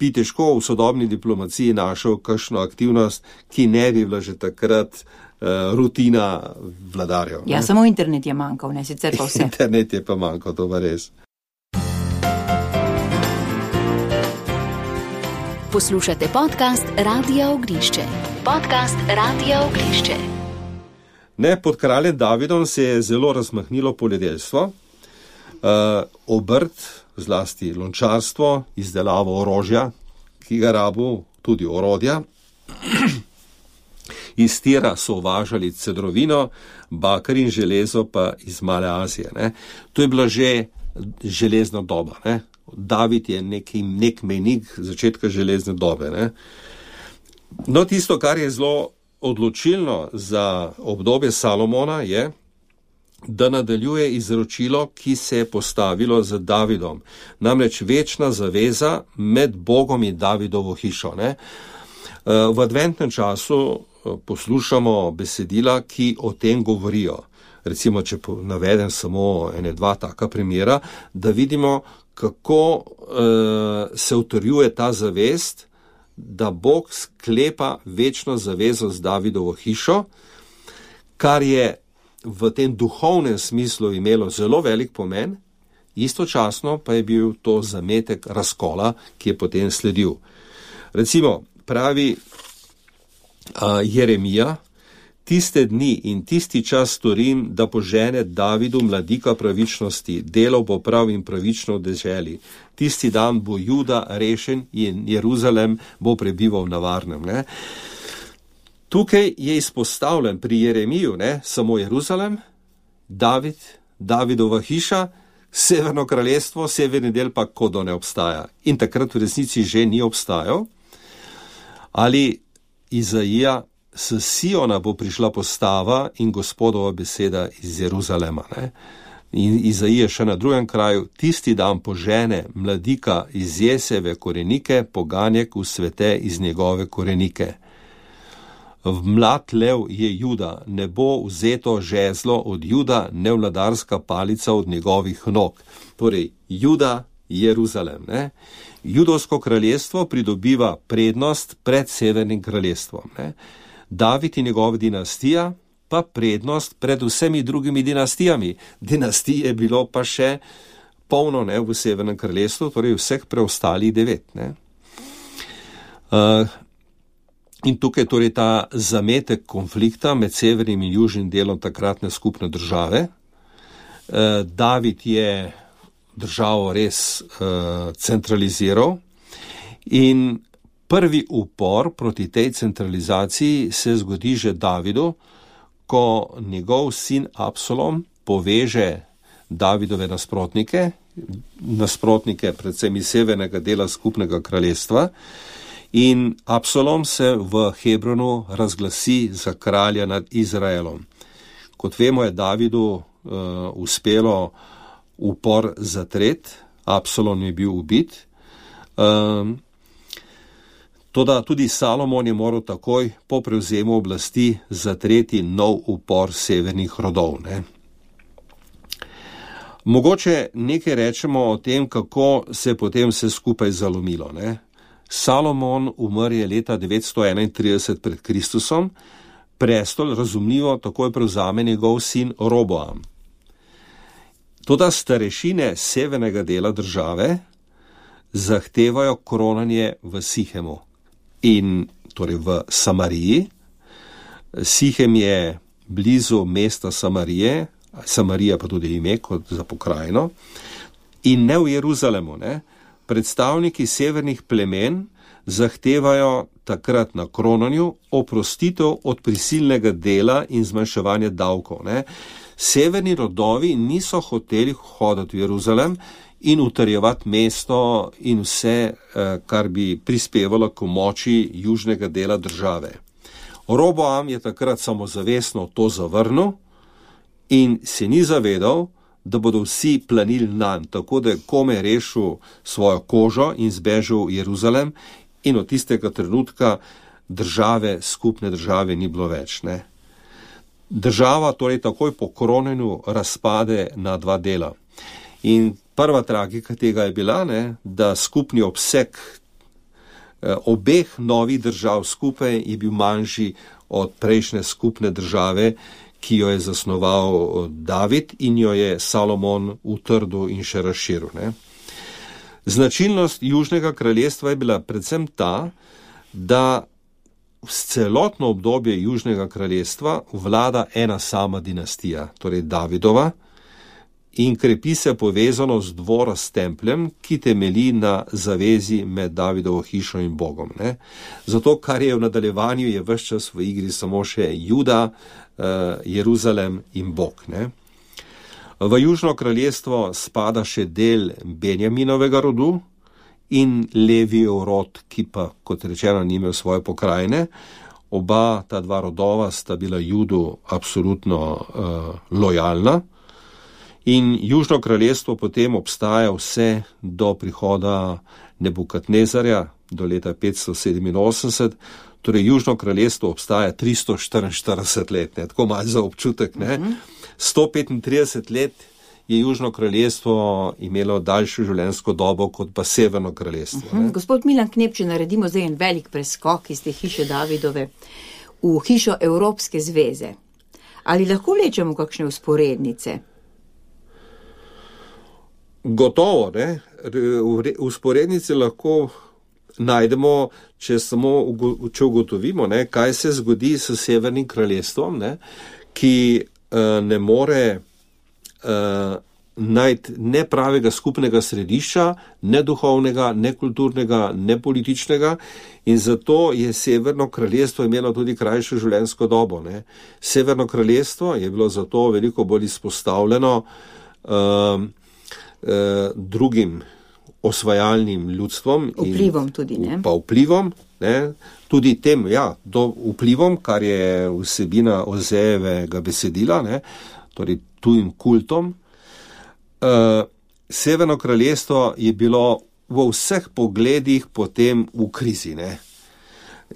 bi težko v sodobni diplomaciji našel kakšno aktivnost, ki ne bi bila že takrat uh, rutina vladarjev. Ja, ne? Samo internet je manjkal, ne sicer pa vse. Internet je pa manjkal, to pa res. Poslušate podcast Radia Ognišče. Podcast Radia Ognišče. Ne, pod kraljem Davidom se je zelo razmahnilo poljedelstvo, uh, obrt, zlasti lončarstvo, izdelavo orožja, ki ga rabu, tudi orodja. Iz tira so uvažali cedrovino, bakar in železo pa iz Male Azije. Ne. To je bila že železna doba. Ne. David je neki, nek mejnik začetka železne dobe. Ne. No, tisto, kar je zelo odločilno za obdobje Salomona, je, da nadaljuje izročilo, ki se je postavilo z Davidom. Namreč večna zaveza med Bogom in Davidovo hišo. Ne. V adventnem času poslušamo besedila, ki o tem govorijo. Recimo, če navedem samo ene dva taka primera, da vidimo, kako uh, se utrjuje ta zavest, da Bog sklepa večno zavezo z Davidovo hišo, kar je v tem duhovnem smislu imelo zelo velik pomen, istočasno pa je bil to zametek razkola, ki je potem sledil. Recimo, pravi uh, Jeremija, tiste dni in tisti čas storim, da požene Davidu mladika pravičnosti, delal bo prav in pravično v deželi. Tisti dan bo Juda rešen in Jeruzalem bo prebival na varnem. Ne? Tukaj je izpostavljen pri Jeremiju ne? Samo Jeruzalem, David, Davidova hiša, severno kraljestvo, severni del pa kodo ne obstaja. In takrat v resnici že ni obstajal. Ali Izaija, s Siona bo prišla postava in Gospodova beseda iz Jeruzalema. Ne? In Izaija še na drugem kraju, tisti dan požene mladika iz Jeseve korenike, poganjek v svete iz njegove korenike. V mlad lev je Juda, ne bo vzeto žezlo od Juda, ne vladarska palica od njegovih nog. Torej, Juda, Jeruzalem. Ne? Judovsko kraljestvo pridobiva prednost pred severnim kraljestvom. Ne? David in njegova dinastija pa prednost pred vsemi drugimi dinastijami. Dinastij je bilo pa še polno ne, v severnem kraljestvu, torej vseh preostalih devet. Ne. Uh, in tukaj torej ta zametek konflikta med severnim in južnim delom takratne skupne države. Uh, David je državo res uh, centraliziral in prvi upor proti tej centralizaciji se zgodi že Davidu, ko njegov sin Absalom poveže Davidove nasprotnike, nasprotnike predvsem iz severnega dela skupnega kraljestva, in Absalom se v Hebronu razglasi za kralja nad Izraelom. Kot vemo, je Davidu uh, uspelo upor zatret, Absalom je bil ubit, um, toda tudi Salomon je moral takoj po prevzemu oblasti zatreti nov upor severnih rodov. Ne? Mogoče nekaj rečemo o tem, kako se potem vse skupaj zalomilo. Ne? Salomon umr je leta devetsto enaintrideset pred Kristusom, prestol razumljivo takoj prevzame njegov sin Roboam. Toda starešine severnega dela države zahtevajo kronanje v Sihemu. In torej v Samariji. Sihem je blizu mesta Samarije, Samarija pa tudi ime kot za pokrajino, in ne v Jeruzalemu. Ne. Predstavniki severnih plemen zahtevajo takrat na kronanju oprostitev od prisilnega dela in zmanjševanja davkov. Ne. Severni rodovi niso hoteli hoditi v Jeruzalem in utrjevati mesto in vse, kar bi prispevalo k moči južnega dela države. Roboam je takrat samozavestno to zavrnil in se ni zavedal, da bodo vsi planili nanj, tako da je komaj rešil svojo kožo in zbežal v Jeruzalem, in od tistega trenutka države, skupne države ni bilo več. Ne. država torej takoj po kronjenju razpade na dva dela. In prva tragika tega je bila, ne, da skupni obseg eh, obeh novih držav skupaj je bil manjši od prejšnje skupne države, ki jo je zasnoval David in jo je Salomon utrdil in še razširil. Ne. Značilnost Južnega kraljestva je bila predvsem ta, da v celotno obdobje Južnega kraljestva vlada ena sama dinastija, torej Davidova, in krepi se povezanost dvora s templjem, ki temelji na zavezi med Davidovo hišo in Bogom. Ne. Zato, kar je v nadaljevanju, je ves čas v igri samo še Juda, Jeruzalem in Bog. Ne. V Južno kraljestvo spada še del Benjaminovega rodu in Levijev rod, ki pa, kot rečeno, ni imel svoje pokrajine. Oba ta dva rodova sta bila Judu absolutno uh, lojalna. In Južno kraljestvo potem obstaja vse do prihoda Nebukadnezarja do leta petsto sedeminosemdeset, torej Južno kraljestvo obstaja tristo štiriinštirideset let, ne, tako malo za občutek. Ne. sto petintrideset let je Južno kraljestvo imelo daljšo življenjsko dobo kot pa Severno kraljestvo. Uh -huh. Gospod Milan Knep, če naredimo zdaj en velik preskok iz te hiše Davidove v hišo Evropske zveze, ali lahko vlečemo kakšne usporednice? Gotovo, ne. Usporednice lahko najdemo, če samo če ugotovimo, ne, kaj se zgodi s Severnim kraljestvom, ne, ki uh, ne more uh, najti ne pravega skupnega središča, ne duhovnega, ne kulturnega, ne političnega, in zato je Severno kraljestvo imelo tudi krajšo življenjsko dobo. Ne. Severno kraljestvo je bilo zato veliko bolj izpostavljeno uh, uh, drugim osvajalnim ljudstvom. Vplivom in, tudi, ne? Pa vplivom, ne? Tudi tem, ja, do vplivom, kar je vsebina Ozejevega besedila, ne? Torej tujim kultom. Uh, Severno kraljestvo je bilo v vseh pogledih potem v krizi, ne?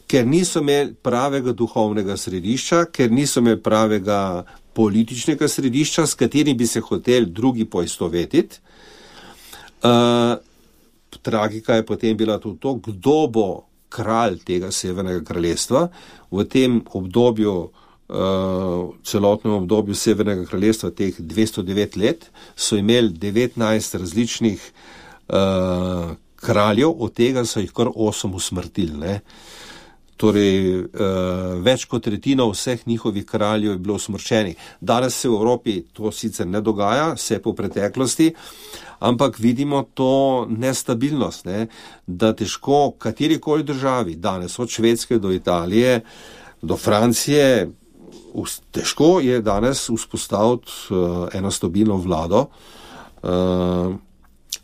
Ker niso imeli pravega duhovnega središča, ker niso imeli pravega političnega središča, s katerim bi se hoteli drugi poistovetiti. Uh, Tragika je potem bila tudi to, kdo bo kralj tega Severnega kraljestva. V tem obdobju, uh, celotnem obdobju Severnega kraljestva, teh dvesto devet let, so imeli devetnajst različnih uh, kraljev, od tega so jih kar osem usmrtili. Ne? Torej, uh, več kot tretjina vseh njihovih kraljev je bilo usmrčenih. Danes se v Evropi to sicer ne dogaja, vse po preteklosti, ampak vidimo to nestabilnost, ne? Da težko katerikoli državi, danes od Švedske do Italije, do Francije, težko je danes vzpostaviti uh, eno stabilno vlado. Uh,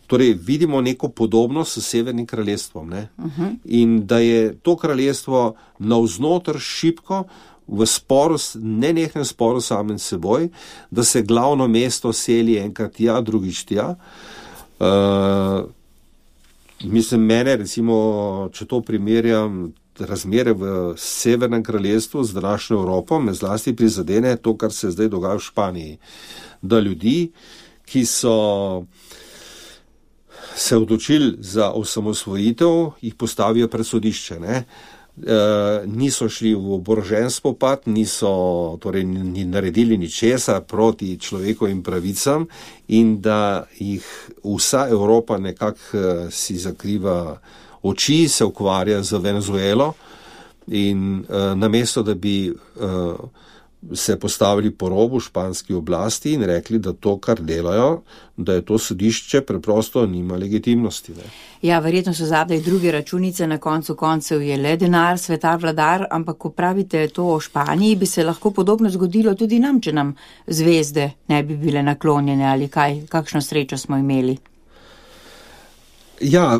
torej, vidimo neko podobnost s Severnim kraljestvom, ne? Uh-huh. In da je to kraljestvo navznoter šibko, v sporu, nenehnem sporu samem seboj, da se glavno mesto seli enkrat tja, drugič tja. Uh, mislim, mene, recimo, če to primerjam, razmere v Severnem kraljestvu z današnjo Evropo, me zlasti prizadene to, kar se zdaj dogaja v Španiji. Da ljudi, ki so se odločili za osamosvojitev, jih postavijo pred sodišče, ne? Uh, niso šli v oborožen spopad, niso torej ni naredili ničesar proti človekovim pravicam in da jih vsa Evropa nekako uh, si zakriva oči, se ukvarja z Venezuelo in uh, namesto, da bi uh, se postavili po robu španski oblasti in rekli, da to, kar delajo, da je to sodišče preprosto nima legitimnosti. Ne? Ja, verjetno so zadaj druge računice, na koncu koncev je le denar, svetar vladar, ampak ko pravite to o Španiji, bi se lahko podobno zgodilo tudi nam, če nam zvezde ne bi bile naklonjene ali kaj, kakšno srečo smo imeli. Ja,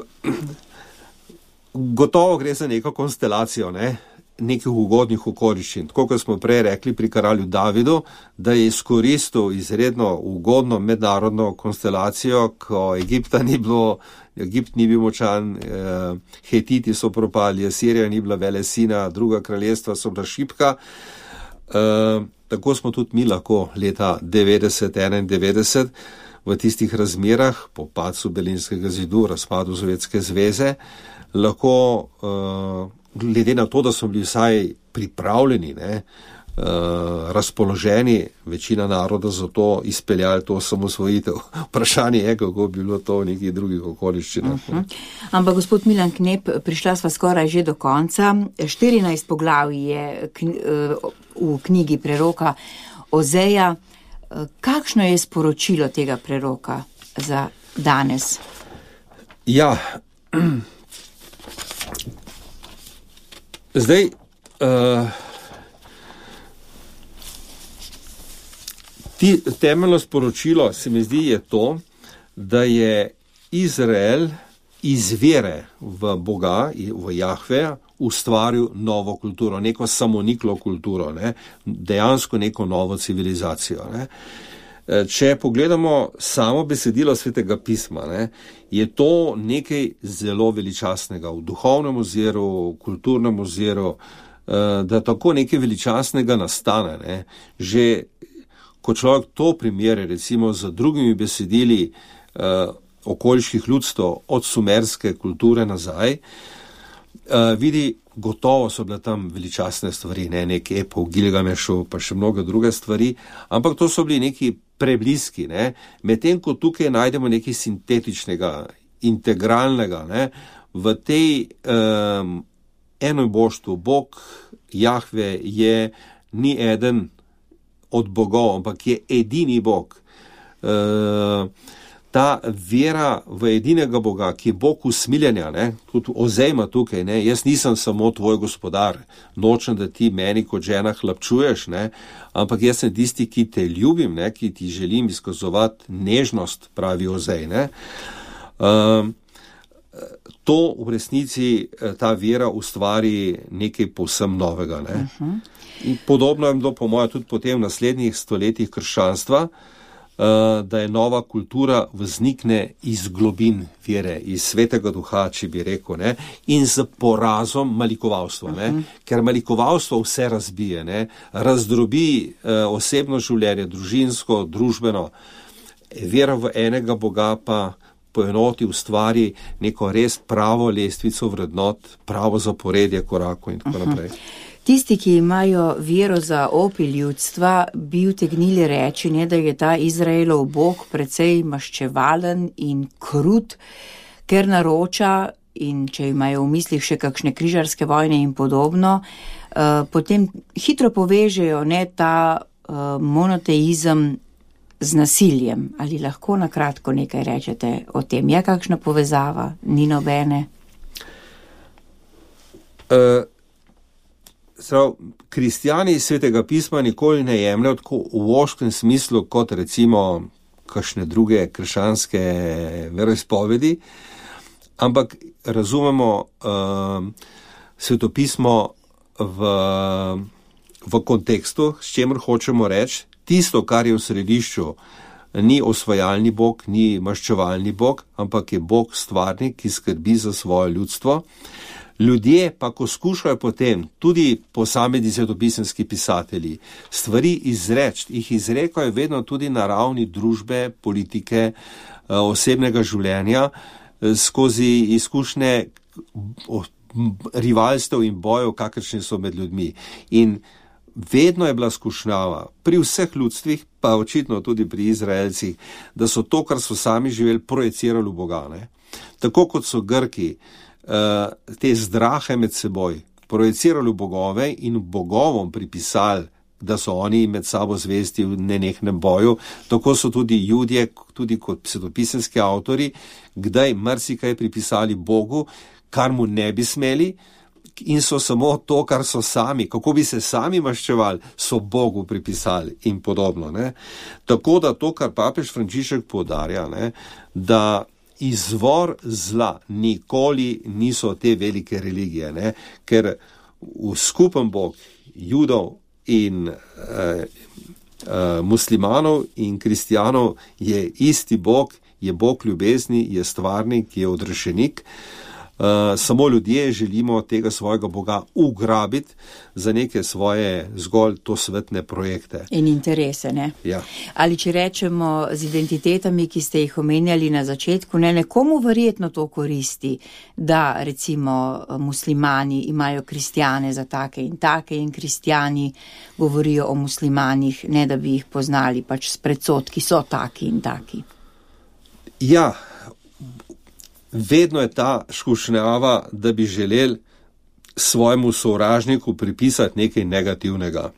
gotovo gre za neko konstelacijo, ne? Nekih ugodnih okoliščin. Tako kot smo prej rekli pri kralju Davidu, da je izkoristil izredno ugodno mednarodno konstelacijo, ko Egipta ni bilo, Egipt ni bil močan, eh, Hetiti so propali, Asirija ni bila velesina, druga kraljestva so bila šibka. Eh, tako smo tudi mi lahko leta devetdeset enaindevetdeset v tistih razmerah, po padcu Berlinskega zidu, razpadu Sovjetske zveze, lahko, uh, glede na to, da smo bili vsaj pripravljeni, ne, uh, razpoloženi, večina naroda za to izpeljali to osamosvojitev. Vprašanje je, kako bi bilo to v nekih drugih okoliščinah. Uh-huh. Ampak gospod Milan Knep, prišla sva skoraj že do konca. štirinajst poglavij je kn- v knjigi preroka Ozeja. Kakšno je sporočilo tega preroka za danes? Ja, zdaj, uh, ti, temeljno sporočilo se mi zdi je to, da je Izrael iz vere v Boga, v Jahveja, ustvaril novo kulturo, neko samoniklo kulturo, ne? Dejansko neko novo civilizacijo. Ne? Če pogledamo samo besedilo Svetega pisma, ne, je to nekaj zelo veličastnega v duhovnem oziru, v kulturnem oziru, da tako nekaj veličastnega nastane. Ne. Že ko človek to primere recimo z drugimi besedili okoliških ljudstv od sumerske kulture nazaj, vidi, gotovo so bile tam veličastne stvari, ne, nek epov Gilgamešu, pa še mnoge druge stvari, ampak to so bili neki prebliski, ne, medtem ko tukaj najdemo nekaj sintetičnega, integralnega, ne, v tej um, enoboštvu. Bog Jahve je ni eden od bogov, ampak je edini Bog. Uh, Ta vera v edinega Boga, ki je Bog usmiljenja, ne, tudi Ozej ima tukaj, ne, jaz nisem samo tvoj gospodar, nočem, da ti meni kot žena hlapčuješ, ne, ampak jaz sem tisti, ki te ljubim, ne, ki ti želim izkazovati nežnost, pravi Ozej. Ne. Um, to v resnici ta vera ustvari nekaj povsem novega. Ne. Uh-huh. In podobno je bilo po mojem tudi potem v naslednjih stoletjih krščanstva, da je nova kultura vznikne iz globin vere, iz svetega duha, če bi rekel, ne, in z porazom malikovalstva, ne, uh-huh. ker malikovalstvo vse razbije, ne, razdrobi eh, osebno življenje, družinsko, družbeno, vera v enega Boga pa poenoti, ustvari neko res pravo lestvico vrednot, pravo zaporedje korakov in tako uh-huh. naprej. Tisti, ki imajo vero za opi ljudstva, bi utegnili reči, ne, da je ta Izraelov Bog precej maščevalen in krut, ker naroča, in če imajo v mislih še kakšne križarske vojne in podobno, uh, potem hitro povežejo, ne, ta uh, monoteizem z nasiljem. Ali lahko na kratko nekaj rečete o tem? Je kakšna povezava? Ni nobene? Uh... Prav, kristjani iz Svetega pisma nikoli ne jemljajo tako v voškem smislu kot recimo kakšne druge krščanske veroizpovedi, ampak razumemo uh, svetopismo v, v kontekstu, s čemer hočemo reči, tisto, kar je v središču, ni osvajalni Bog, ni maščevalni Bog, ampak je Bog stvarnik, ki skrbi za svoje ljudstvo. Ljudje pa, ko skušajo potem, tudi posamezni svetopisemski pisatelji, stvari izreči, jih izrekajo vedno tudi na ravni družbe, politike, osebnega življenja, skozi izkušnje rivalstev in bojev, kakršni so med ljudmi. In vedno je bila skušnjava pri vseh ljudstvih, pa očitno tudi pri Izraelcih, da so to, kar so sami živeli, projecirali v Boga. Ne? Tako kot so Grki te zdrahe med seboj projecirali v bogove in bogovom pripisali, da so oni med sabo zvesti v nenehnem boju, tako so tudi Judje, tudi kot svetopisemski avtori, kdaj marsikaj pripisali Bogu, kar mu ne bi smeli, in so samo to, kar so sami, kako bi se sami maščevali, so Bogu pripisali in podobno. Ne? Tako da to, kar papež Frančišek poudarja, ne, da izvor zla nikoli niso te velike religije, ne? Ker v skupen Bog Judov in uh, uh, muslimanov in kristijanov je isti Bog, je Bog ljubezni, je stvarnik, je odrešenik. Uh, samo ljudje želimo tega svojega Boga ugrabiti za neke svoje zgolj to svetne projekte. In interese, ne? Ja. Ali če rečemo z identitetami, ki ste jih omenjali na začetku, ne, nekomu verjetno to koristi, da recimo muslimani imajo kristjane za take in take in kristjani govorijo o muslimanih, ne da bi jih poznali, pač s predsodki so taki in taki. Ja, vedno je ta skušnjava, da bi želeli svojemu sovražniku pripisati nekaj negativnega.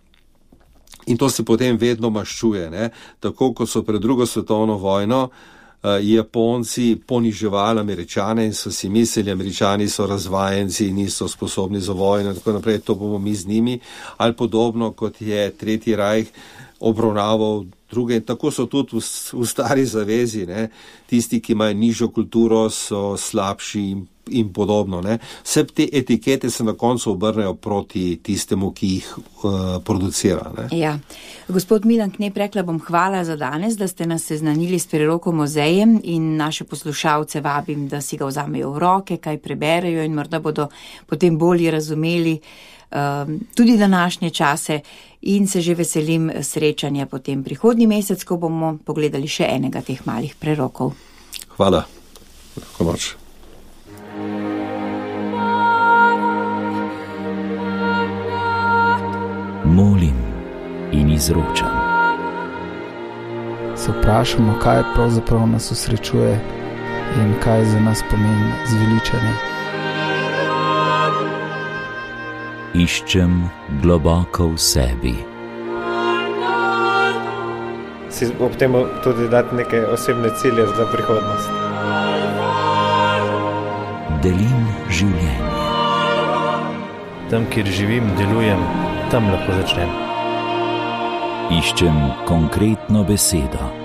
In to se potem vedno maščuje, ne? Tako kot so pred drugo svetovno vojno uh, Japonci poniževali Američane in so si mislili, Američani so razvajenci, niso sposobni za vojno in tako naprej, to bomo mi z njimi, ali podobno kot je Tretji rajh obravnaval druge. In tako so tudi v, v stari zavezi, ne? Tisti, ki imajo nižjo kulturo, so slabši in, in podobno. Ne? Vse te etikete se na koncu obrnejo proti tistemu, ki jih uh, producira. Ne? Ja. Gospod Milan Knep, rekla bom hvala za danes, da ste nas seznanili s Prerokom muzejem in naše poslušalce vabim, da si ga vzamejo v roke, kaj preberejo in morda bodo potem bolje razumeli um, tudi današnje čase. In se že veselim srečanja potem prihodnji mesec, ko bomo pogledali še enega teh malih prerokov. Hvala. Lahko noč. Molim in izročam. Se vprašamo, kaj pravzaprav nas osrečuje in kaj za nas pomeni zveličanje. Iščem globoko v sebi. Si ob tem tudi dati neke osebne cilje za prihodnost. Delim življenje. Tam, kjer živim, delujem, tam lahko začnem. Iščem konkretno besedo.